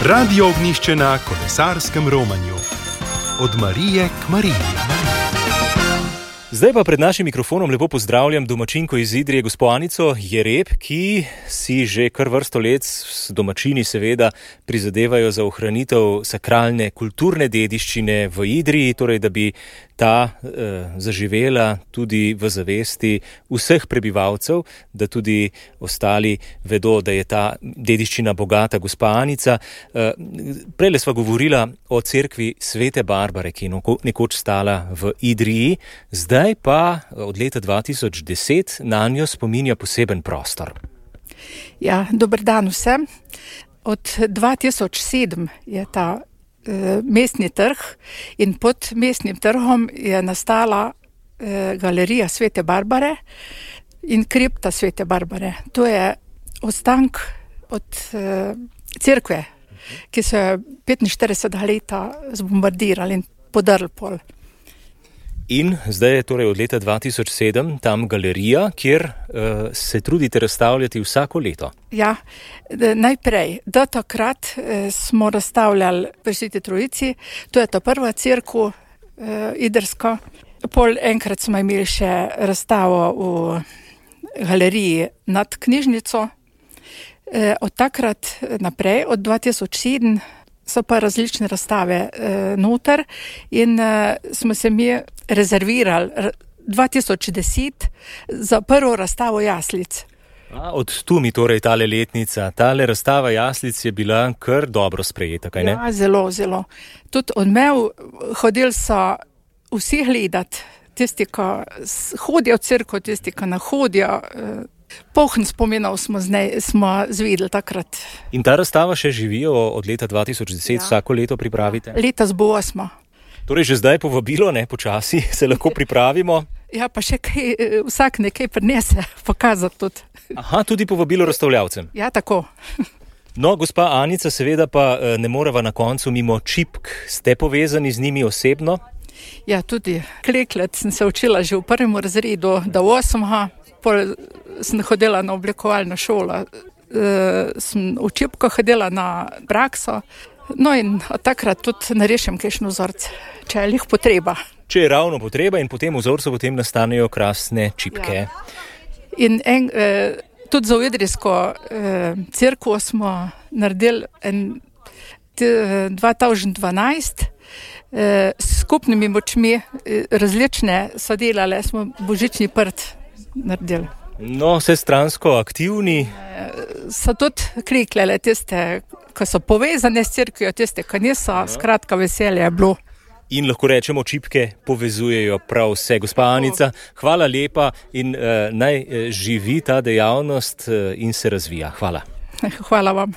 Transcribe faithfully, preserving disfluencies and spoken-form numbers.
Radio Ognjišče na kolesarskem romanju. Od Marije k Mariji. Zdaj pa pred našim mikrofonom lepo pozdravljam domačinko iz Idrije, gospo Anico Jereb, ki si že kar vrsto let s domačini seveda prizadevajo za ohranitev sakralne kulturne dediščine v Idriji, torej da bi ta eh, zaživela tudi v zavesti vseh prebivalcev, da tudi ostali vedo, da je ta dediščina bogata. Gospa Anica, eh, prejle sva govorila o cerkvi Svete Barbare, ki je nekoč stala v Idriji, zdaj pa od leta dva tisoč deset na njo spominja poseben prostor. Ja, dober dan vsem. Od dva tisoč sedem je ta eh, mestni trg in pod mestnim trgom je nastala eh, galerija Svete Barbare in kripta Svete Barbare. To je ostank od eh, cerkve, ki so jo petinštiridesetega leta zbombardirali in podrli pol. In zdaj je torej od leta dva tisoč sedem tam galerija, kjer uh, se trudite razstavljati vsako leto. Ja, najprej, do takrat eh, smo razstavljali pri Sveti Trojici, to je ta prva cerkev eh, idrska. Pol enkrat smo imeli še razstavo v galeriji nad knjižnico. Eh, od takrat naprej, od dva tisoč sedem, so pa različne razstave eh, noter in eh, smo se mi rezervirali dva tisoč deset za prvo razstavo jaslic. A, od tu mi torej tale letnica, tale razstava jaslic je bila kar dobro sprejeta, kaj ne? Ja, zelo, zelo. Tudi odmev hodili so vsi gledati, tisti, ki hodijo v cerkev, tisti, ki ne hodijo. Eh, Pohn spominov smo, znej, smo zvedeli takrat. In ta razstava še živijo od leta dva tisoč deset, ja. Vsako leto pripravite? Ja. Letos bo osmo. Torej že zdaj povabilo, ne, počasi se lahko pripravimo. Ja, pa še kaj, vsak nekaj prinese, pokazati tudi. Aha, tudi povabilo razstavljavcem. Ja, tako. No, gospa Anica, seveda pa ne moreva na koncu mimo čipk. Ste povezani z njimi osebno? Ja, tudi kleklet sem se učila že v prvem razredu, do osmega. Pol sem hodila na oblikovalno šolo, e, sem v čipko hodila na prakso, no in od takrat tudi narešim kakšen vzorc, če je lih potreba. Če je ravno potreba in potem vzorcu potem nastanejo krasne čipke. Ja. In en, e, tudi za idrijsko e, cerkev smo naredili en, t, dva tisoč dvanajst, e, s skupnimi močmi e, različne so delale, smo božični prt naredili. No, vse stransko aktivni. So tudi kriklele tiste, ki so povezane s cerkvijo, tiste, ki niso, skratka veselje je bilo. In lahko rečemo, čipke povezujejo prav vse. Gospa Anica, hvala lepa in uh, naj živi ta dejavnost uh, in se razvija. Hvala. Hvala vam.